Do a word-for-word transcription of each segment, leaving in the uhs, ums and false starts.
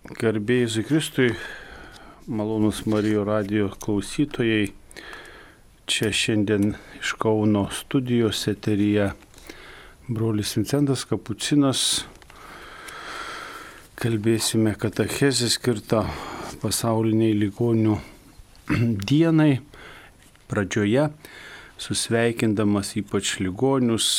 Garbė Jėzui Kristui, malonus Marijos radijo klausytojai, čia šiandien iš Kauno studijos eteryje brolis Vincentas Kapucinas. Kalbėsime katechezę skirtą pasauliniai ligonių dienai. Pradžioje susveikindamas ypač ligonius,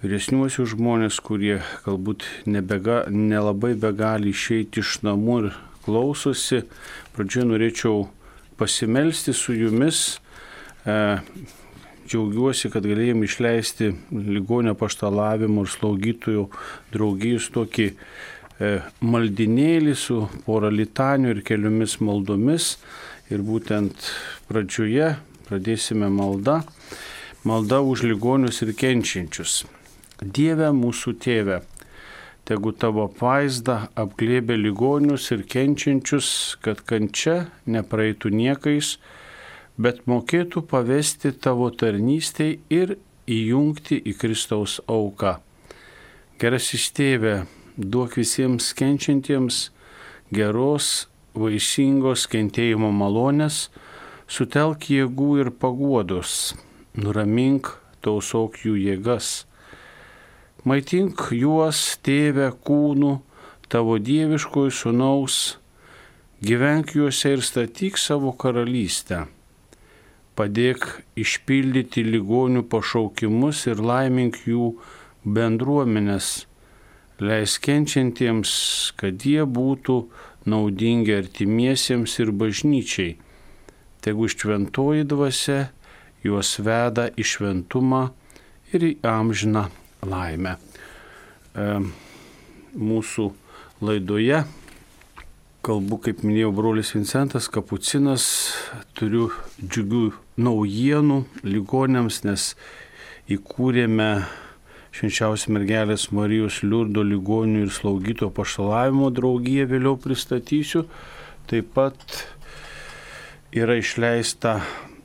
vyresniuosius žmonės, kurie galbūt nebega, nelabai begali išeiti iš namų ir klausosi. Pradžioje norėčiau pasimelsti su jumis. E, džiaugiuosi, kad galėjom išleisti ligonio apaštalavimo ir slaugytojų draugijos tokį e, maldinėlį su pora litanių ir keliomis maldomis. Ir būtent pradžioje pradėsime maldą. Malda už ligonius ir kenčiančius. Dieve mūsų tėve, tegu tavo apvaizda apglėbia ligonius ir kenčiančius, kad kančia nepraeitų niekais, bet mokėtų pavesti tavo tarnystei ir įjungti į Kristaus auką. Gerasis tėve, duok visiems kenčiantiems geros, vaisingos kentėjimo malonės, sutelk jėgų ir paguodos, nuramink, tausok jų jėgas. Maitink juos, tėve, kūnų, tavo dieviškojų sūnaus, gyvenk juose ir statyk savo karalystę. Padėk išpildyti ligonių pašaukimus ir laimink jų bendruomenės. Leis kenčiantiems, kad jie būtų naudingi artimiesiems ir bažnyčiai. Tegu šventoji dvasia juos veda į šventumą ir į amžiną laimę. E, mūsų laidoje kalbu, kaip minėjau, brolis Vincentas Kapucinas. Turiu džiugių naujienų ligonėms, nes įkūrėme Švenčiausios mergelės Marijos Liurdo ligonių ir slaugytojų apaštalavimo draugiją, vėliau pristatysiu. Taip pat yra išleista,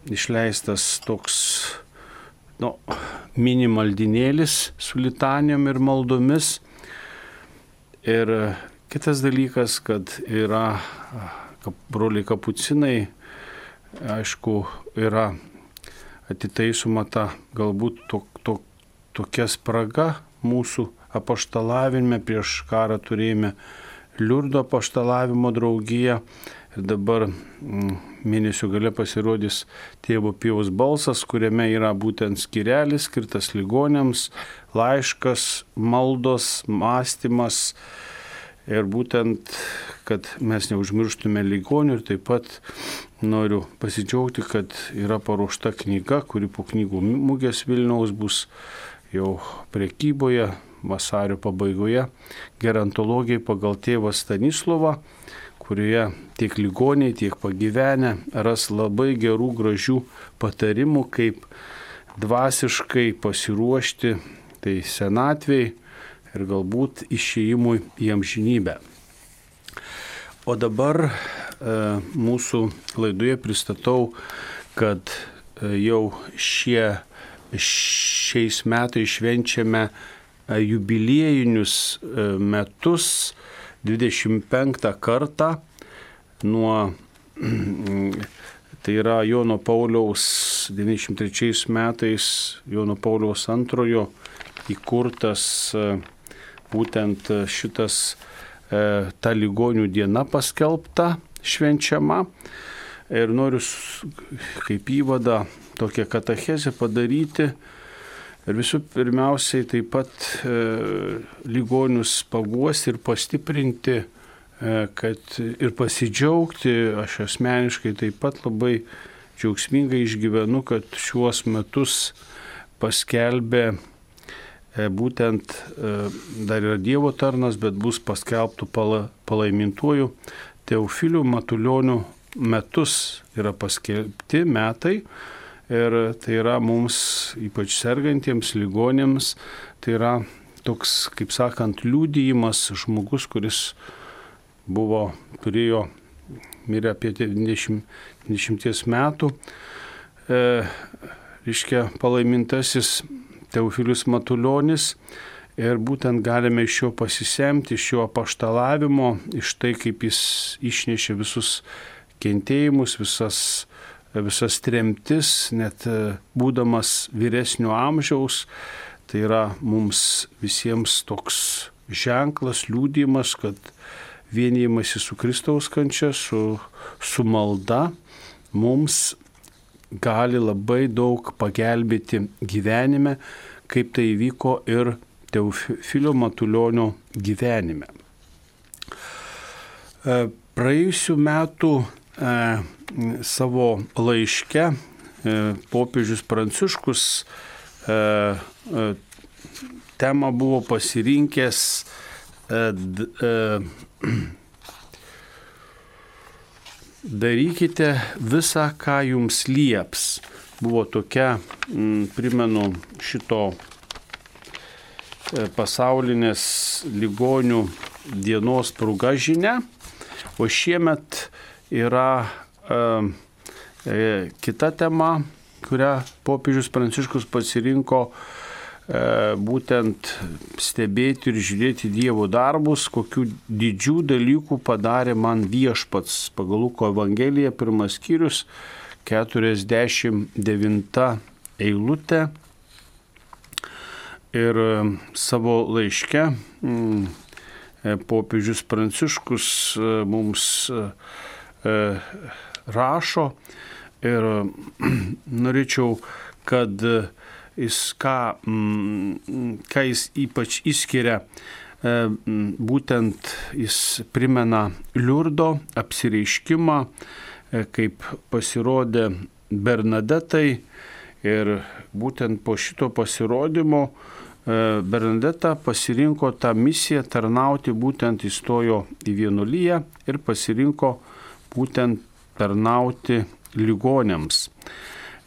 išleistas toks nu, mini maldinėlis su litanijom ir maldomis. Ir kitas dalykas, kad yra broliai Kapucinai, aišku, yra atitaisoma ta galbūt to, to, tokia spraga mūsų apaštalavime. Prieš karą turėjome Liurdo apaštalavimo draugiją. Ir dabar mėnesio gale pasirodys Tėvo Pijaus balsas, kuriame yra būtent skyrelis skirtas ligonėms, laiškas, maldos, mąstymas. Ir būtent, kad mes neužmirštume ligonių. Ir taip pat noriu pasidžiaugti, kad yra paruošta knyga, kuri po knygų mugės Vilniaus bus jau prekyboje vasario pabaigoje. Gerontologija pagal tėvą Stanislovą, kurioje tiek ligoniai, tiek pagyvenę ras labai gerų, gražių patarimų, kaip dvasiškai pasiruošti tai senatvei ir galbūt išėjimui į amžinybę. O dabar e, mūsų laidoje pristatau, kad e, jau šie, šiais metais švenčiame e, jubiliejinius e, metus, dvidešimt penktą kartą nuo, tai yra Jono Pauliaus devyniasdešimt trečiais metais, Jono Pauliaus antrojo įkurtas būtent šitas ta ligonių diena paskelbta, švenčiama. Ir noriu kaip įvadą tokią katechezę padaryti. Ir visų pirmiausiai taip pat e, ligonius paguosti ir pastiprinti, e, kad ir pasidžiaugti. Aš asmeniškai taip pat labai džiaugsmingai išgyvenu, kad šiuos metus paskelbė e, būtent, e, dar yra Dievo tarnas, bet bus paskelbtų pala, palaimintuoju Teofiliu Matulioniu metus yra paskelbti metai. Ir tai yra mums, ypač sergantiems ligonėms, tai yra toks, kaip sakant, liudijimas žmogus, kuris buvo, turėjo, mirė apie devyniasdešimt metų. E, reiškia, palaimintasis Teofilius Matulionis. Ir būtent galime iš jo pasisemti, iš jo apaštalavimo, iš tai, kaip jis išnešė visus kentėjimus, visas, visas tremtis, net būdamas vyresnio amžiaus. Tai yra mums visiems toks ženklas, liudijimas, kad vienijimasi su Kristaus kančia, su, su malda mums gali labai daug pagelbėti gyvenime, kaip tai įvyko ir Teofilio Matulionio gyvenime. Praėjusių metų e, savo laiške e, popiežius Pranciškus e, e, temą buvo pasirinkęs e, d, e, darykite visą, ką jums lieps. Buvo tokia, m, primenu, šito pasaulinės ligonių dienos proga žinia, o šiemet yra e, e, kita tema, kurią popiežius Pranciškus pasirinko, e, būtent stebėti ir žiūrėti Dievo darbus, kokių didžių dalykų padarė man viešpats. Pagal Luko Evangeliją, pirmas skyrius, keturiasdešimt devinta eilutė. Ir savo laiške popiežius Pranciškus mums rašo ir norėčiau, kad jis ką, ką jis ypač išskiria, būtent jis primena Liurdo apsireiškimą, kaip pasirodė Bernadetai. Ir būtent po šito pasirodymo Bernadeta pasirinko tą misiją tarnauti, būtent įstojo į vienuoliją ir pasirinko būtent tarnauti ligoniams.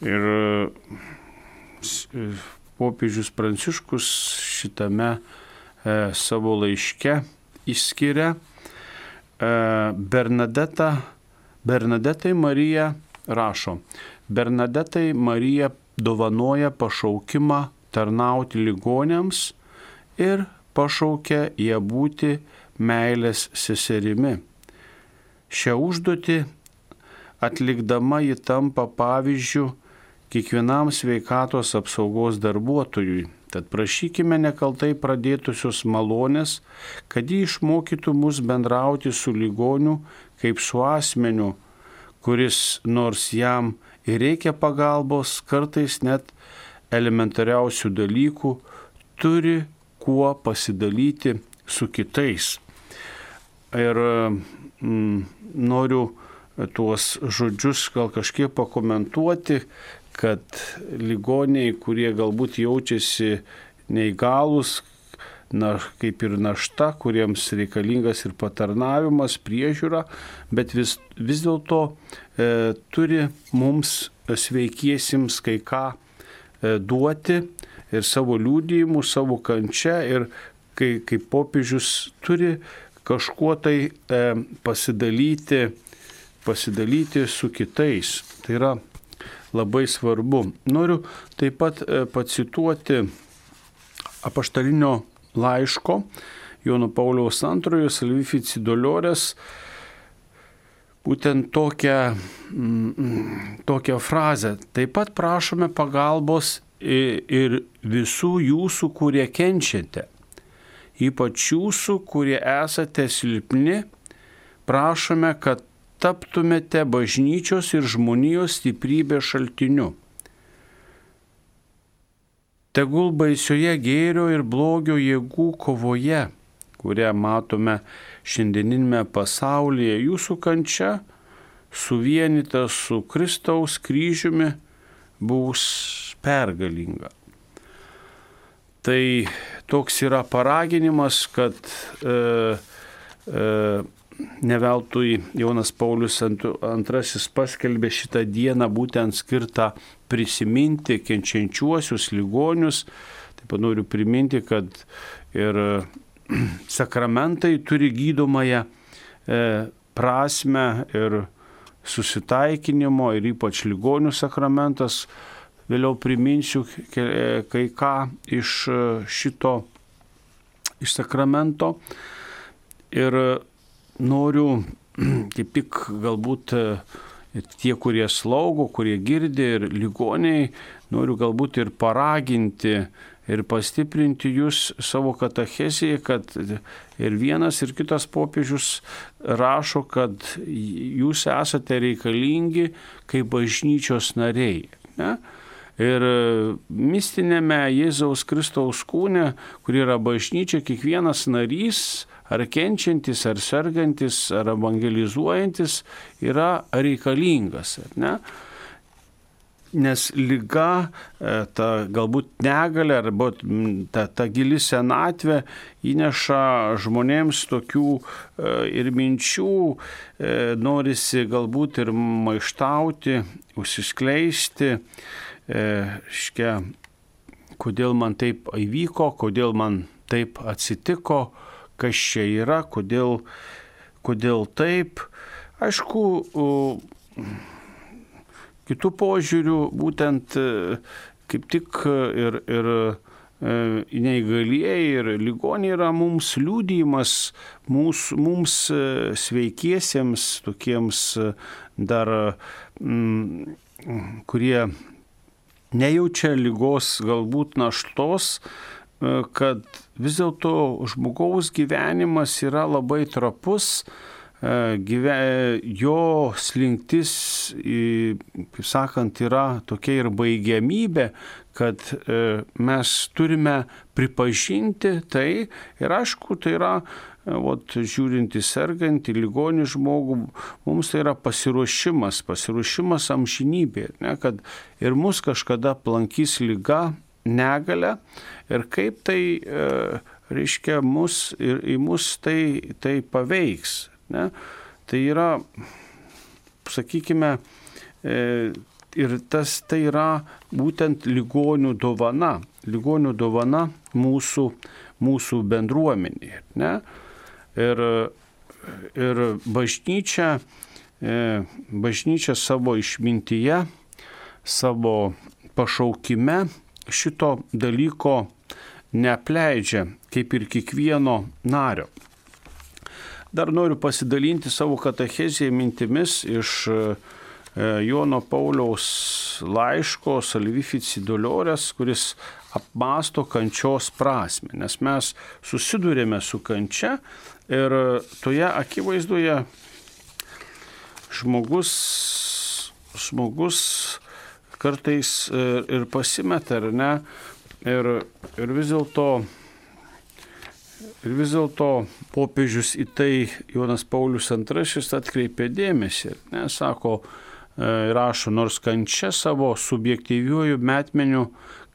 Ir popiežius Pranciškus šitame savo laiške išskiria Bernadetą, Bernadetai Marija rašo, Bernadetai Marija dovanoja pašaukimą tarnauti ligoniams ir pašaukia ją būti meilės seserimi. Šią užduotį atlikdama ji tampa pavyzdžiu kiekvienam sveikatos apsaugos darbuotojui. Tad prašykime nekaltai pradėtusios malonės, kad ji išmokytų mus bendrauti su ligoniu kaip su asmeniu, kuris nors jam ir reikia pagalbos, kartais net elementariausių dalykų, turi kuo pasidalyti su kitais. Ir mm, noriu tuos žodžius gal kažkiek pakomentuoti, kad ligoniai, kurie galbūt jaučiasi neįgalūs, na, kaip ir našta, kuriems reikalingas ir patarnavimas, priežiūra, bet vis, vis dėlto e, turi mums sveikiesiems kai ką e, duoti ir savo liudijimu, savo kančia, ir kai, kaip popiežius turi kažkuo tai e, pasidalyti, pasidalyti su kitais. Tai yra labai svarbu. Noriu taip pat e, pacituoti apaštalinio laiško Jono Pauliaus antrojo Salvifici Dolores, būtent tokią, mm, tokią frazę. Taip pat prašome pagalbos ir visų jūsų, kurie kenčiate, ypač jūsų, kurie esate silpni, prašome, kad taptumėte bažnyčios ir žmonijos stiprybės šaltiniu. Tegul baisioje gėrio ir blogio jėgų kovoje, kurią matome šiandieninėme pasaulyje, jūsų kančia, suvienyta su Kristaus kryžiumi, bus pergalinga. Tai toks yra paraginimas, kad e, e, ne veltui Jonas Paulius antrasis paskelbė šitą dieną būtent skirtą prisiminti kenčiančiuosius ligonius. Taip pat noriu priminti, kad ir sakramentai turi gydomąją e, prasme ir susitaikinimo, ir ypač ligonių sakramentas. Vėliau priminsiu kai ką iš šito iš sakramento. Ir noriu kaip tik galbūt tie, kurie slaugo, kurie girdi ir ligoniai, noriu galbūt ir paraginti ir pastiprinti jūs savo katechezėje, kad ir vienas, ir kitas popiežius rašo, kad jūs esate reikalingi kaip bažnyčios nariai. Ne? Ir mistinėme Jėzaus Kristaus kūne, kur yra bažnyčia, kiekvienas narys, ar kenčiantis, ar sergantis, ar evangelizuojantis, yra reikalingas. Ne? Nes liga, ta galbūt negalia arba ta, ta gili senatvė įneša žmonėms tokių ir minčių, norisi galbūt ir maištauti, užsiskleisti, škia, kodėl man taip įvyko, kodėl man taip atsitiko, kas čia yra, kodėl, kodėl taip. Aišku, kitų požiūrių būtent kaip tik ir, ir neįgalieji ir ligoniai yra mums liudijimas, mums, mums sveikiesiems, tokiems dar, m, kurie nejaučia ligos galbūt naštos, kad vis dėlto žmogaus gyvenimas yra labai trapus, gyve, jo slinktis, kaip sakant, yra tokia ir baigiamybė, kad mes turime pripažinti tai ir aišku, tai yra, vat, žiūrint į sergantį, ligonį žmogų, mums tai yra pasiruošimas, pasiruošimas amžinybė, ne, kad ir mus kažkada aplankys liga, negalia ir kaip tai, reiškia, mus ir į mus tai, tai paveiks. Ne? Tai yra, sakykime, ir tas tai yra būtent ligonių dovana, ligonių dovana mūsų, mūsų bendruomenėje. Ne? Ir, ir bažnyčia, bažnyčia savo išmintyje, savo pašaukime šito dalyko neapleidžia, kaip ir kiekvieno nario. Dar noriu pasidalinti savo katechezėje mintimis iš Jono Pauliaus laiško Salvifici Dolores, kuris apmąsto kančios prasmę, nes mes susidurėme su kančia ir toje akivaizdoje žmogus, žmogus kartais ir pasimeta, ar ne, ir, ir vis dėlto Ir vis dėlto popiežius į tai Jonas Paulius antrasis atkreipė dėmesį. Ne, sako, rašo, nors kančia savo subjektyviuoju metmeniu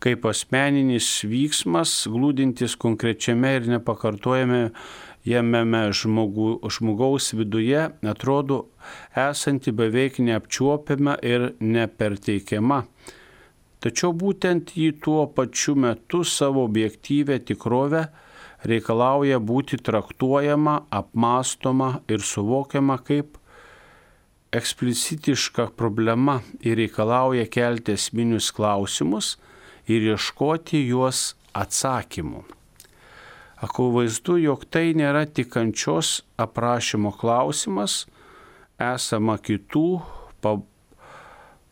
kaip asmeninis vyksmas, glūdintis konkrečiame ir nepakartojame jame žmogų, žmogaus viduje, atrodo esanti beveik neapčiuopiama ir neperteikiama. Tačiau būtent jį tuo pačiu metu savo objektyvę tikrovę reikalauja būti traktuojama, apmąstoma ir suvokiama kaip eksplicitiška problema ir reikalauja kelti esminius klausimus ir ieškoti juos atsakymų. Akivaizdu, jog tai nėra tik kančios aprašymo klausimas, esama kitų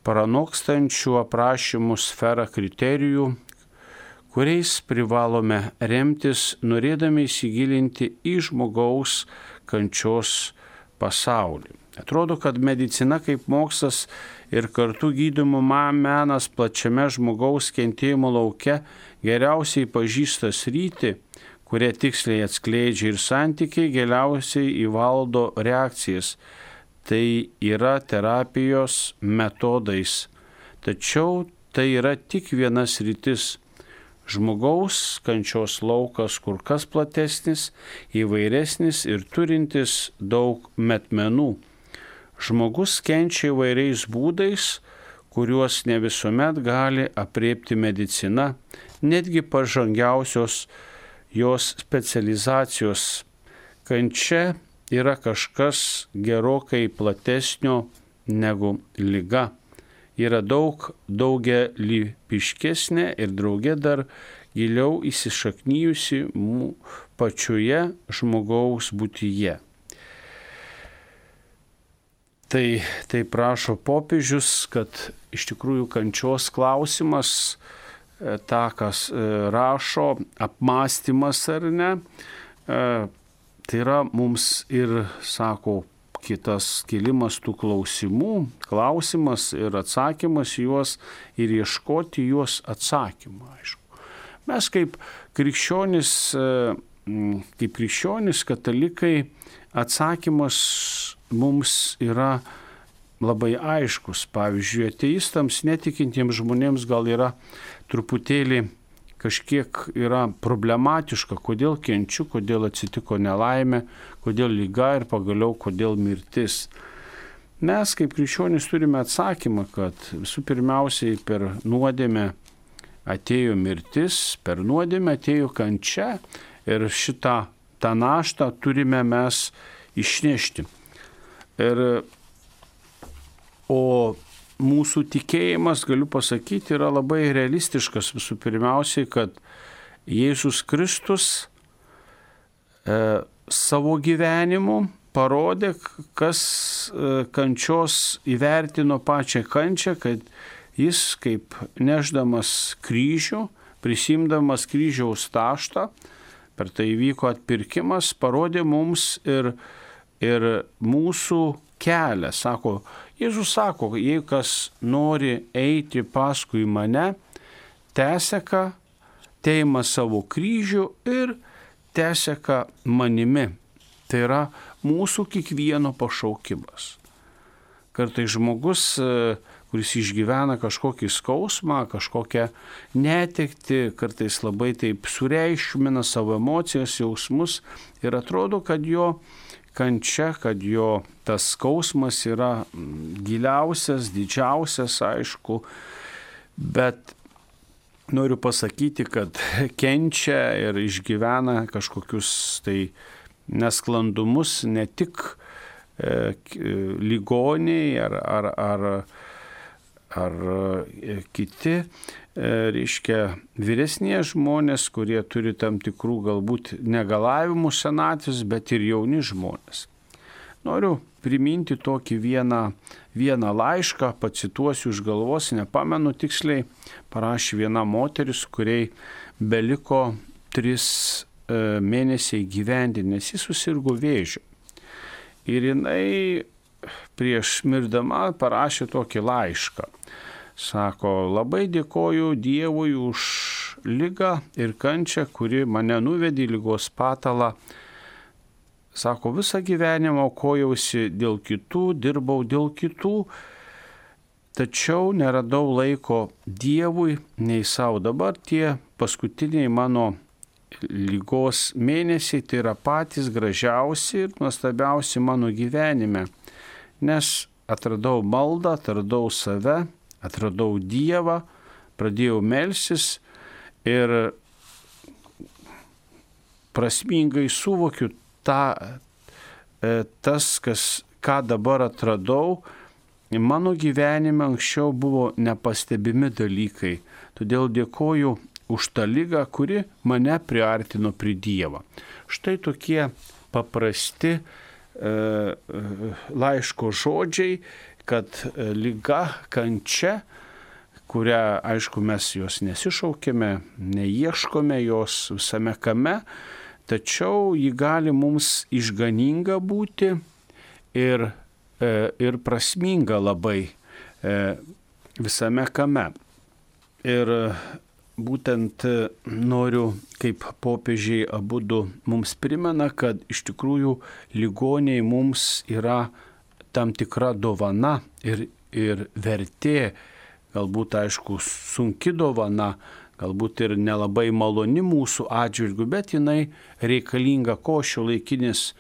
pranokstančių aprašymų sferą kriterijų, kuriais privalome remtis, norėdami įsigilinti į žmogaus kančios pasaulį. Atrodo, kad medicina kaip mokslas ir kartu gydymo menas plačiame žmogaus kentėjimo lauke geriausiai pažįsta sritį, kurie tiksliai atskleidžia ir santykiai geriausiai įvaldo reakcijas. Tai yra terapijos metodais. Tačiau tai yra tik vienas sritis. Žmogaus kančios laukas kur kas platesnis, įvairesnis ir turintis daug metmenų. Žmogus kenčia įvairiais būdais, kuriuos ne visuomet gali aprėpti medicina, netgi pažangiausios jos specializacijos. Kančia yra kažkas gerokai platesnio negu liga. Yra daug daugialypiškesnė ir drauge dar giliau įsišaknyjusi pačioje žmogaus būtyje. Tai, tai prašo popiežius, kad iš tikrųjų kančios klausimas, tą, kas rašo, apmąstymas ar ne, tai yra mums ir, sako, kitas kėlimas tų klausimų, klausimas ir atsakymas juos ir ieškoti juos atsakymą, aišku. Mes kaip krikščionys, kaip krikščionys katalikai, atsakymas mums yra labai aiškus. Pavyzdžiui, ateistams, netikintiems žmonėms gal yra truputėlį kažkiek yra problematiška, kodėl kenčiu, kodėl atsitiko nelaimė, kodėl liga ir pagaliau kodėl mirtis. Mes kaip krikščionys turime atsakymą, kad visų pirmiausiai per nuodėmę atėjo mirtis, per nuodėmę atėjo kančia ir šitą tą naštą turime mes išnešti. Ir, o mūsų tikėjimas, galiu pasakyti, yra labai realistiškas. Visų pirmiausiai, kad Jėzus Kristus e, savo gyvenimu parodė, kas e, kančios įvertino pačią kančią, kad jis kaip neždamas kryžių, prisimdamas kryžiaus taštą, per tai vyko atpirkimas, parodė mums ir, ir mūsų kelią. Sako, Jėzus sako, jei kas nori eiti paskui mane, teseka, teima savo kryžių ir teseka manimi. Tai yra mūsų kiekvieno pašaukimas. Kartais žmogus, kuris išgyvena kažkokį skausmą, kažkokią netektį, kartais labai taip sureikšmina savo emocijas, jausmus ir atrodo, kad jo kančia, kad jo tas skausmas yra giliausias, didžiausias, aišku, bet noriu pasakyti, kad kenčia ir išgyvena kažkokius tai nesklandumus ne tik e, ligoniai ar, ar, ar ar kiti, reiškia, vyresnie žmonės, kurie turi tam tikrų galbūt negalavimų senatvės, bet ir jauni žmonės. Noriu priminti tokį vieną, vieną laišką, pacituosiu iš galvos, nepamenu tiksliai, parašė viena moteris, kuriai beliko tris mėnesiai gyventi, nes jis susirgo vėžiu. Ir jinai prieš mirdama parašė tokį laišką. Sako, labai dėkoju Dievui už ligą ir kančią, kuri mane nuvedė į ligos patalą. Sako, visą gyvenimą aukojausi dėl kitų, dirbau dėl kitų, tačiau neradau laiko Dievui nei savo. Dabar tie paskutiniai mano ligos mėnesiai tai yra patys gražiausi ir nuostabiausi mano gyvenime. Nes atradau maldą, atradau save, atradau Dievą, pradėjau melstis ir prasmingai suvokiu tą, tas, kas, ką dabar atradau, mano gyvenime anksčiau buvo nepastebimi dalykai. Todėl dėkoju už tą ligą, kuri mane priartino prie Dievo. Štai tokie paprasti laiško žodžiai, kad liga, kančia, kurią, aišku, mes jos nesišaukėme, neieškome jos visame kame, tačiau ji gali mums išganinga būti ir, ir prasminga labai visame kame. Ir būtent noriu, kaip popiežiai abudu mums primena, kad iš tikrųjų ligoniai mums yra tam tikra dovana ir, ir vertė, galbūt, aišku, sunki dovana, galbūt ir nelabai maloni mūsų atžvilgių, bet jinai reikalinga, ko šiuolaikinis e,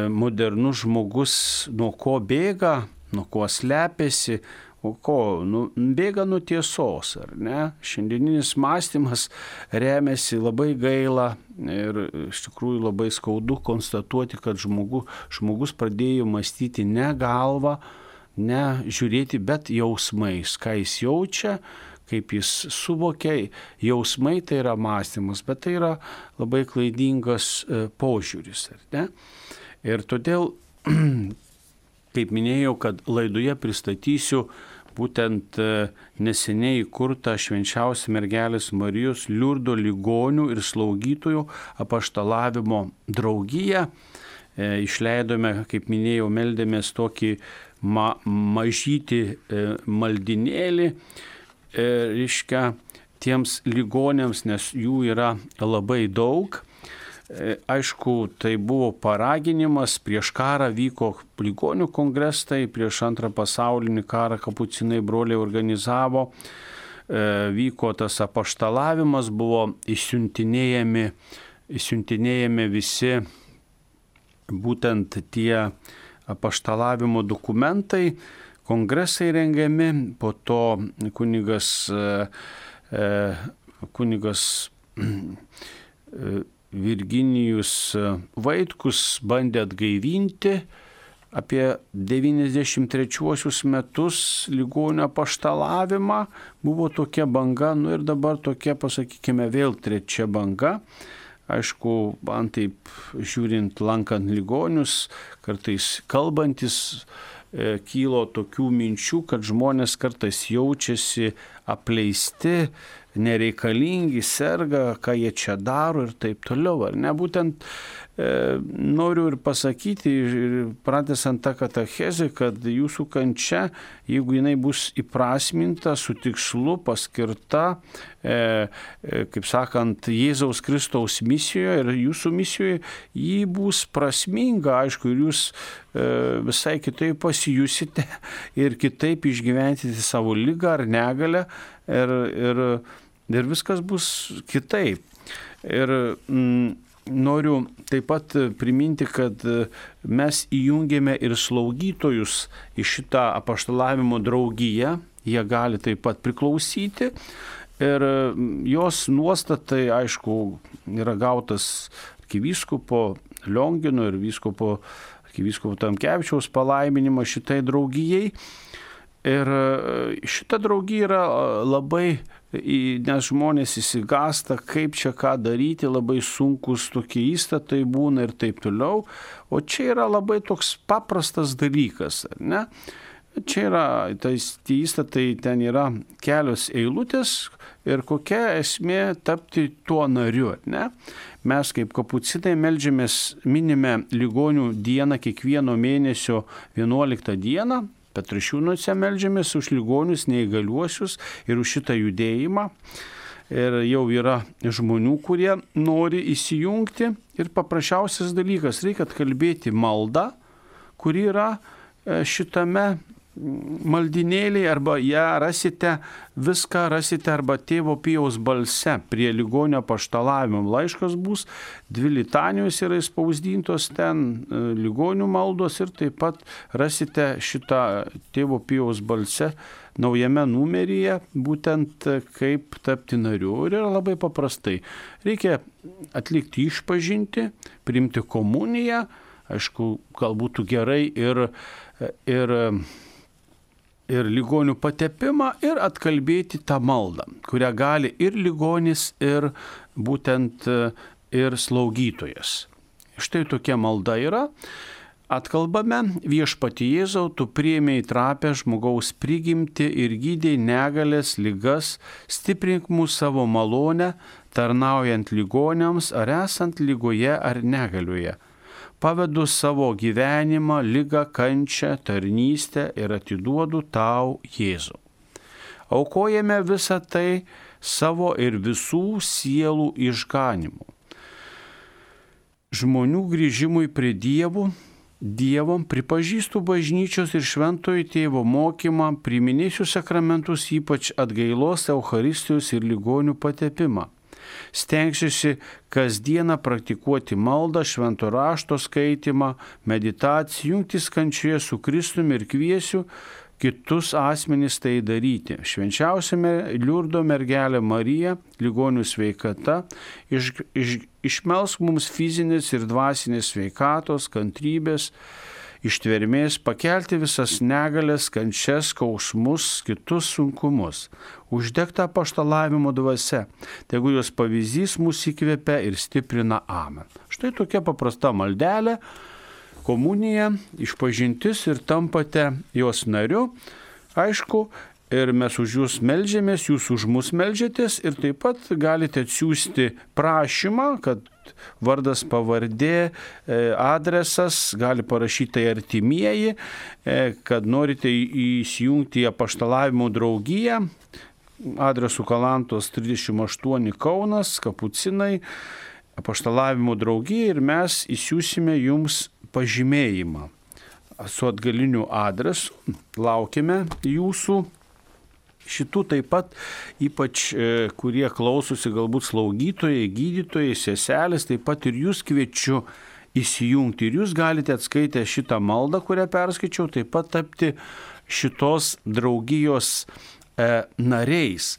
modernus žmogus nuo ko bėga, nuo ko slepiasi. O ko? Nu, bėga nuo tiesos, ar ne? Šiandieninis mąstymas remiasi labai gaila ir iš tikrųjų labai skaudu konstatuoti, kad žmogu, žmogus pradėjo mąstyti ne galva, ne žiūrėti, bet jausmais, ką jis jaučia, kaip jis suvokia, jausmai tai yra mąstymas, bet tai yra labai klaidingas požiūris. Ar ne? Ir todėl, kaip minėjau, kad laidoje pristatysiu būtent neseniai įkurtą švenčiausią mergelės Marijos Liurdo ligonių ir slaugytojų apaštalavimo draugiją. Išleidome, kaip minėjau, meldėmės tokį ma mažytį maldinėlį, reiškia, tiems ligoniams, nes jų yra labai daug. Aišku, tai buvo paraginimas, prieš karą vyko ligonių kongresai, prieš antrą pasaulinį karą kapucinai broliai organizavo, vyko tas apaštalavimas, buvo išsiuntinėjami, išsiuntinėjami visi būtent tie apaštalavimo dokumentai, kongresai rengiami, po to kunigas, kunigas Virginijus Vaitkus bandė atgaivinti apie devyniasdešimt trečiuosius metus ligonių apaštalavimą, buvo tokia banga, nu ir dabar tokia, pasakykime, vėl trečia banga. Aišku, man taip žiūrint, lankant ligonius, kartais kalbantis, e, kylo tokių minčių, kad žmonės kartais jaučiasi apleisti, nereikalingi, serga, ką jie čia daro ir taip toliau. Ar ne? Būtent e, noriu ir pasakyti, ir pratęsant tą katechezę, kad jūsų kančia, jeigu jinai bus įprasminta, su tikslu, paskirta, e, e, kaip sakant, Jėzaus Kristaus misijoje ir jūsų misijoje, ji bus prasminga, aišku, ir jūs e, visai kitaip pasijusite ir kitaip išgyventite savo ligą ar negalę ir, ir, ir viskas bus kitaip. Ir mm, noriu taip pat priminti, kad mes įjungėme ir slaugytojus į šitą apaštalavimo draugiją, jie gali taip pat priklausyti ir jos nuostatai, aišku, yra gautas arkivyskupo Liongino ir vyskupo, arkivyskupo Tamkevičiaus palaiminimas šitai draugijai. Ir šita draugija yra labai, nes žmonės įsigasta, kaip čia ką daryti, labai sunkus tokie įstatai būna ir taip toliau. O čia yra labai toks paprastas dalykas, ar ne? Čia yra, tai įstatai, ten yra kelios eilutės ir kokia esmė tapti tuo nariu, ar ne? Mes kaip kapucinai meldžiamės, minime ligonių dieną kiekvieno mėnesio vienuoliktą dieną. Petrašiūnuose meldžiamės už ligonius, neįgaliuosius ir už šitą judėjimą. Ir jau yra žmonių, kurie nori įsijungti. Ir paprasčiausias dalykas, reikia atkalbėti maldą, kuri yra šitame maldinėliai, arba ją rasite, viską rasite arba Tėvo Pijaus balse prie ligonio apaštalavimo. Laiškas bus, dvi litanijos yra įspausdintos ten, ligonių maldos ir taip pat rasite šitą Tėvo Pijaus balse naujame numeryje, būtent kaip tapti nariu. Ir yra labai paprastai. Reikia atlikti išpažintį, priimti komuniją, aišku, gal būtų gerai ir, ir ir ligonių patepimą ir atkalbėti tą maldą, kurią gali ir ligonis, ir būtent ir slaugytojas. Štai tokia malda yra. Atkalbame: Viešpatie Jėzau, tu priėmei trapę žmogaus prigimtį ir gydei negalės, ligas, stiprink mūsų savo malonę, tarnaujant ligoniams ar esant ligoje ar negalioje. Pavedu savo gyvenimą, ligą, kančią, tarnystę ir atiduodu tau, Jėzau. Aukojame visą tai savo ir visų sielų išganimu. Žmonių grįžimui prie Dievų, Dievom pripažįstu bažnyčios ir šventojo tėvo mokymą, priminėsiu sakramentus, ypač atgailos, Eucharistijos ir ligonių patepimą. Stengsiuosi kasdieną praktikuoti maldą, švento rašto skaitimą, meditaciją, jungtis kančioje su Kristumi ir kviesiu kitus asmenys tai daryti. Švenčiausia Liurdo mergelė Marija, ligonių sveikata, iš, iš, išmelsk mums fizinės ir dvasinės sveikatos, kantrybės, ištvermės pakelti visas negalės, kančias, skausmus, kitus sunkumus. Uždegta apaštalavimo dvasia, tegu jos pavyzdys mus įkvepia ir stiprina. Amen. Štai tokia paprasta maldelė, komunija, išpažintis ir tampate jos nariu. Aišku, ir mes už jūs meldžiamės, jūs už mus meldžiatės ir taip pat galite atsiųsti prašymą, kad vardas, pavardė, adresas, gali parašyti tai artimieji, kad norite įsijungti į apaštalavimo draugiją, adresu Kalantos trisdešimt aštuoni Kaunas, Kapucinai, apaštalavimo draugija ir mes įsiūsime jums pažymėjimą su atgaliniu adresu. Laukime jūsų. Šitų taip pat, ypač kurie klausosi galbūt slaugytojai, gydytojai, seselės, taip pat ir jūs kviečiu įsijungti. Ir jūs galite atskaitę šitą maldą, kurią perskaičiau, taip pat tapti šitos draugijos e, nariais.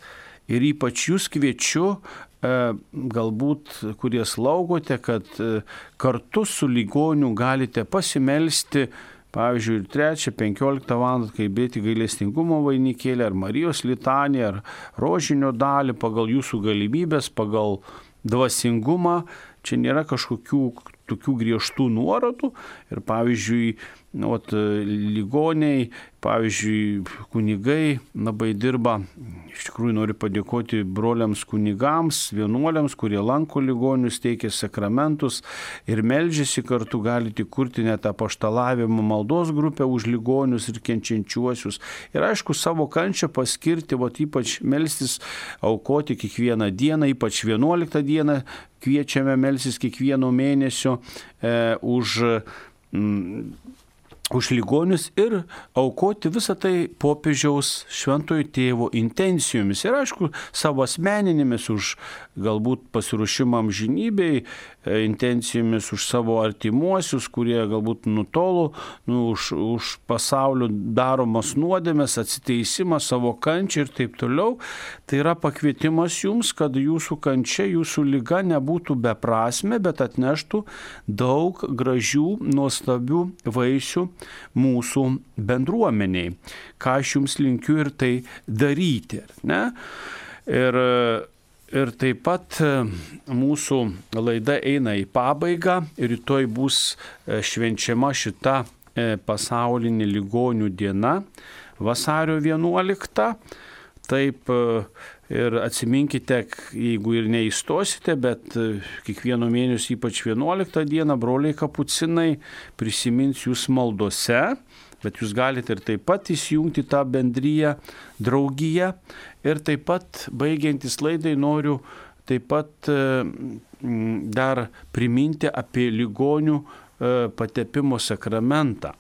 Ir ypač jūs kviečiu, e, galbūt, kurie slaugote, kad e, kartu su ligoniu galite pasimelsti, pavyzdžiui, ir trečią, penkioliktą valandą kalbėti gailestingumo vainikėlį, ar Marijos litaniją, ar rožinio dalį pagal jūsų galimybės, pagal dvasingumą. Čia nėra kažkokių tokių griežtų nuorodų. Ir pavyzdžiui, ot, ligoniai, pavyzdžiui, kunigai labai dirba. Iš tikrųjų noriu padėkoti broliams kunigams, vienuoliams, kurie lanko ligonius, teikia sakramentus ir meldžiasi kartu. Galite kurti net apaštalavimo maldos grupę už ligonius ir kenčiančiuosius. Ir aišku, savo kančią paskirti, vat, ypač melstis, aukoti kiekvieną dieną, ypač vienuoliktą dieną kviečiame melstis kiekvieno mėnesio e, už mm, už ligonius ir aukoti visą tai popiežiaus šventojo tėvo intencijomis. Ir aišku, savo asmeninėmis už galbūt pasiruošimą amžinybei, intencijomis už savo artimuosius, kurie galbūt nutolo, nu, už, už pasaulio daromas nuodėmes, atsiteisimą, savo kančią ir taip toliau. Tai yra pakvietimas jums, kad jūsų kančia, jūsų liga nebūtų beprasmė, bet atneštų daug gražių, nuostabių vaisių mūsų bendruomeniai. Ką aš jums linkiu ir tai daryti. Ne? Ir Ir taip pat mūsų laida eina į pabaigą. Rytoj bus švenčiama šita pasaulinė ligonių diena, vasario vienuoliktą. Taip ir atsiminkite, jeigu ir neįstosite, bet kiekvieno mėnesio, ypač vienuoliktą dieną, broliai kapucinai prisimins jūs maldose. Bet jūs galite ir taip pat įsijungti tą bendriją, draugiją. Ir taip pat, baigiantis laidai, noriu taip pat dar priminti apie ligonių patepimo sakramentą.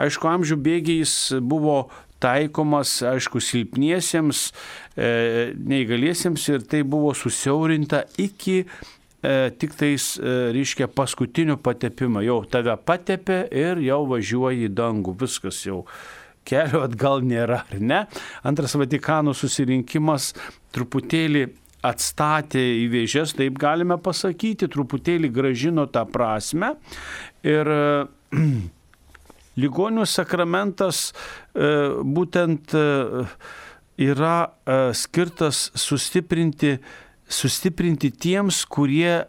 Aišku, amžių bėgiais buvo taikomas, aišku, silpniesiems, neįgaliesiems ir tai buvo susiaurinta iki tik tais, reiškia, paskutinio patepimo. Jau tave patepė ir jau važiuoji į dangų. Viskas jau, kelio atgal nėra, ar ne? Antras Vatikano susirinkimas truputėlį atstatė į vėžes, taip galime pasakyti, truputėlį gražino tą prasme. Ir ligonių sakramentas būtent yra skirtas sustiprinti sustiprinti tiems, kurie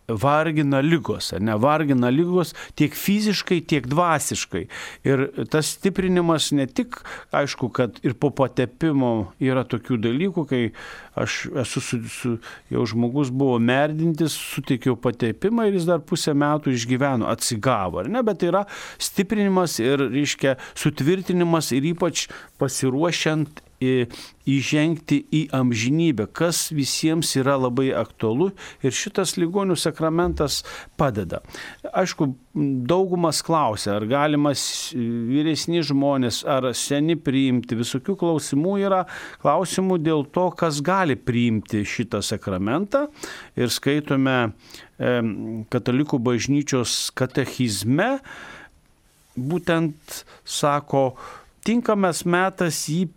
vargina ligos, ar ne, vargina ligos tiek fiziškai, tiek dvasiškai. Ir tas stiprinimas ne tik, aišku, kad ir po patepimo yra tokių dalykų, kai aš esu su, su, jau žmogus buvo merdintis, suteikiau patepimą ir jis dar pusę metų išgyveno, atsigavo, ar ne, bet tai yra stiprinimas ir, reiškia, sutvirtinimas ir ypač pasiruošiant įžengti į amžinybę, kas visiems yra labai aktualu ir šitas ligonių sakramentas padeda. Aišku, daugumas klausia, ar galima vyresni žmonės, ar seni priimti. Visokių klausimų yra, klausimų dėl to, kas gali priimti šitą sakramentą. Ir skaitome e, Katalikų bažnyčios katechizme, būtent sako, tinkamas metas jį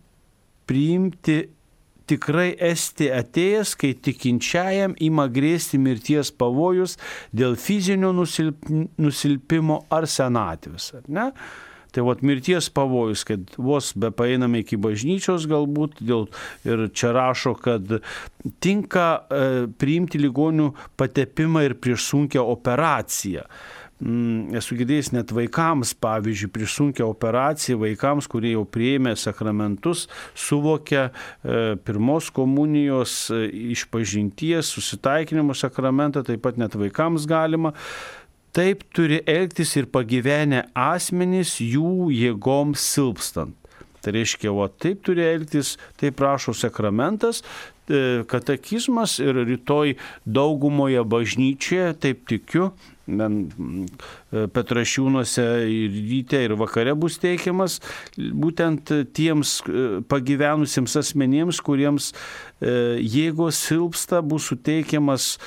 priimti tikrai esti atėjęs, kai tikinčiajam ima grėsti mirties pavojus dėl fizinio nusilp, nusilpimo ar senatvės. Ar ne? Tai vat mirties pavojus, kad vos be paeiname iki bažnyčios galbūt, dėl, ir čia rašo, kad tinka e, priimti ligonių patepimą ir prieš sunkią operaciją. Mm, esu girdėjęs net vaikams, pavyzdžiui, prieš sunkią operaciją, vaikams, kurie jau priėmė sakramentus, suvokia e, pirmos komunijos e, išpažinties, susitaikinimo sakramentą, taip pat net vaikams galima. Taip turi elgtis ir pagyvenę asmenys jų jėgoms silpstant. Tai reiškia, o taip turi elgtis, taip prašo sakramentas, katekizmas ir rytoj daugumoje bažnyčioje, taip tikiu, Petrašiūnuose ir ryte ir vakare bus teikiamas būtent tiems pagyvenusiems asmenėms, kuriems jėgos silpsta, bus suteikiamas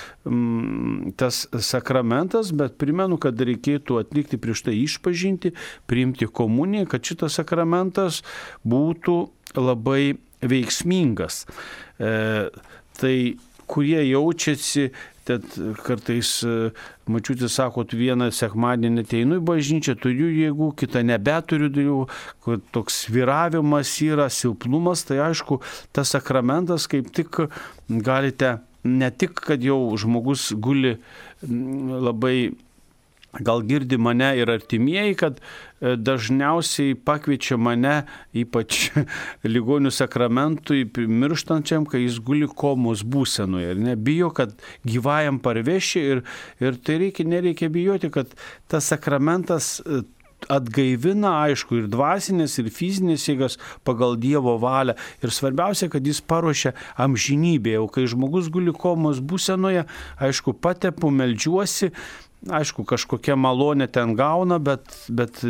tas sakramentas, bet primenu, kad reikėtų atlikti prieš tai išpažinti, priimti komuniją, kad šitas sakramentas būtų labai veiksmingas. E, tai kurie jaučiasi, tad kartais mačiutė sako, vieną sekmadienį ateinu į bažnyčią, turiu jėgų, kitą nebeturiu jėgų, kur toks sviravimas yra, silpnumas, tai aišku, tas sakramentas kaip tik galite, ne tik, kad jau žmogus guli labai, gal girdi mane ir artimieji, kad dažniausiai pakviečia mane, ypač ligonių sakramentui, mirštančiam, kai jis guli komos būsenoje ir nebijo, kad gyvajam parveši ir, ir tai reikia, nereikia bijoti, kad tas sakramentas atgaivina, aišku, ir dvasinės, ir fizinės jėgas pagal Dievo valią. Ir svarbiausia, kad jis paruošia amžinybėje. O kai žmogus guli komos būsenoje, aišku, patepu, meldžiuosi, aišku, kažkokia malonė ten gauna, bet, bet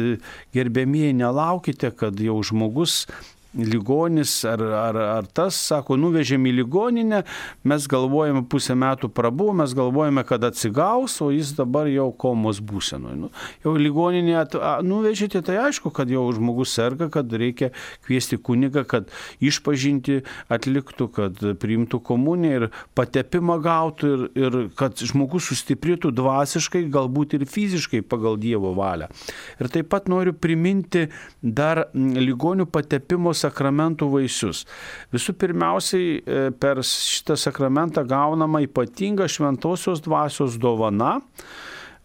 gerbėmieji, nelaukite, kad jau žmogus ligonis ar, ar, ar tas, sako, nuvežėm į ligoninę, mes galvojame pusę metų prabuvo, mes galvojame, kad atsigaus, o jis dabar jau komos būsenoje. Nu, jau ligoninė at, a, nuvežėte, tai aišku, kad jau žmogus serga, kad reikia kviesti kunigą, kad išpažinti atliktų, kad priimtų komuniją ir patepimą gautų ir, ir kad žmogus sustiprėtų dvasiškai, galbūt ir fiziškai pagal Dievo valią. Ir taip pat noriu priminti dar ligonių patepimo sakramentų vaisius. Visų pirmiausiai per šitą sakramentą gaunama ypatinga šventosios dvasios dovana.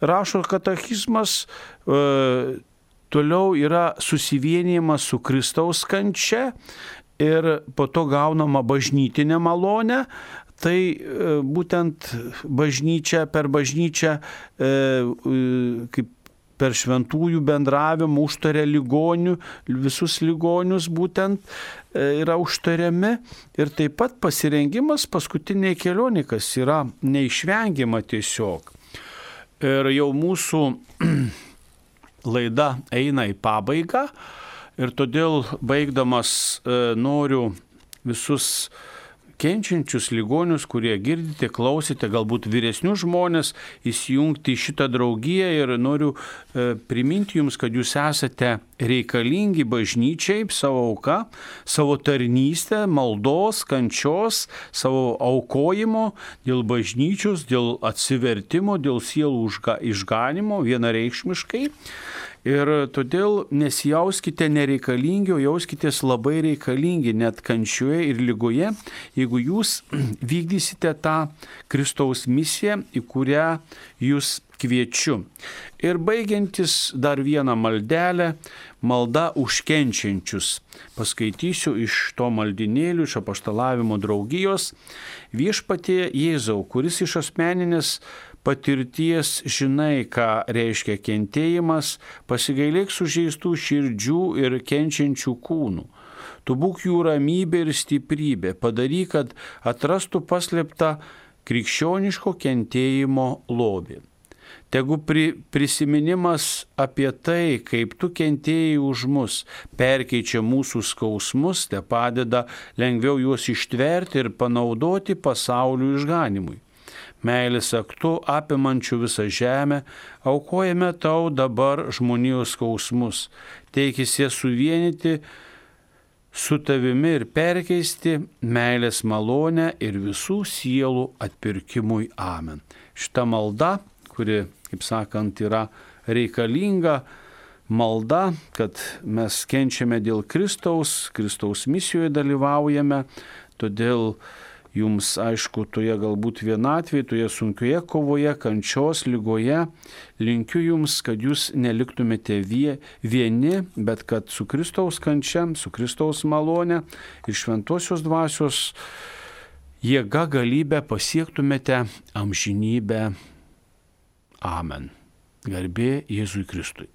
Rašo katekizmas, e, toliau yra susivienijimas su Kristaus kančia ir po to gaunama bažnytinė malonė. Tai e, būtent bažnyčia, per bažnyčią e, e, kaip per šventųjų bendravimą užtarė ligonių, visus ligonius būtent yra užtariami ir taip pat pasirengimas paskutiniai kelioniai, kas yra neišvengiama tiesiog. Ir jau mūsų laida eina į pabaigą ir todėl baigdamas noriu visus kenčiančius ligonius, kurie girdite, klausite, galbūt vyresnius žmonės, įsijungti į šitą draugiją ir noriu e, priminti jums, kad jūs esate reikalingi bažnyčiai savo auka, savo tarnystę, maldos, kančios, savo aukojimo dėl bažnyčios, dėl atsivertimo, dėl sielų išganimo vienareikšmiškai. Ir todėl nesijauskite nereikalingi, o jauskitės labai reikalingi net kančioje ir ligoje, jeigu jūs vykdysite tą Kristaus misiją, į kurią jūs kviečiu. Ir baigiantis dar vieną maldelę, malda už kenčiančius. Paskaitysiu iš to maldinėlių, iš apaštalavimo draugijos. Viešpatie Jėzau, kuris iš asmeninės patirties žinai, ką reiškia kentėjimas, pasigailėk sužeistų širdžių ir kenčiančių kūnų. Tu būk jų ramybė ir stiprybė, padaryk, kad atrastų paslėptą krikščioniško kentėjimo lobį. Tegu pri, prisiminimas apie tai, kaip tu kentėjai už mus, perkeičia mūsų skausmus, te padeda lengviau juos ištverti ir panaudoti pasaulio išganimui. Meilės aktu apimančių visą žemę, aukojame tau dabar žmonijos skausmus, teikis jas suvienyti su tavimi ir perkeisti meilės malonę ir visų sielų atpirkimui. Amen. Šita malda, kuri, kaip sakant, yra reikalinga malda, kad mes kenčiame dėl Kristaus, Kristaus misijoje dalyvaujame, todėl jums, aišku, toje galbūt vienatvėje, toje sunkioje kovoje, kančios, lygoje, linkiu jums, kad jūs neliktumėte vieni, bet kad su Kristaus kančia, su Kristaus malone ir šventosios dvasios jėga galybę pasiektumėte amžinybę. Amen. Garbė Jėzui Kristui.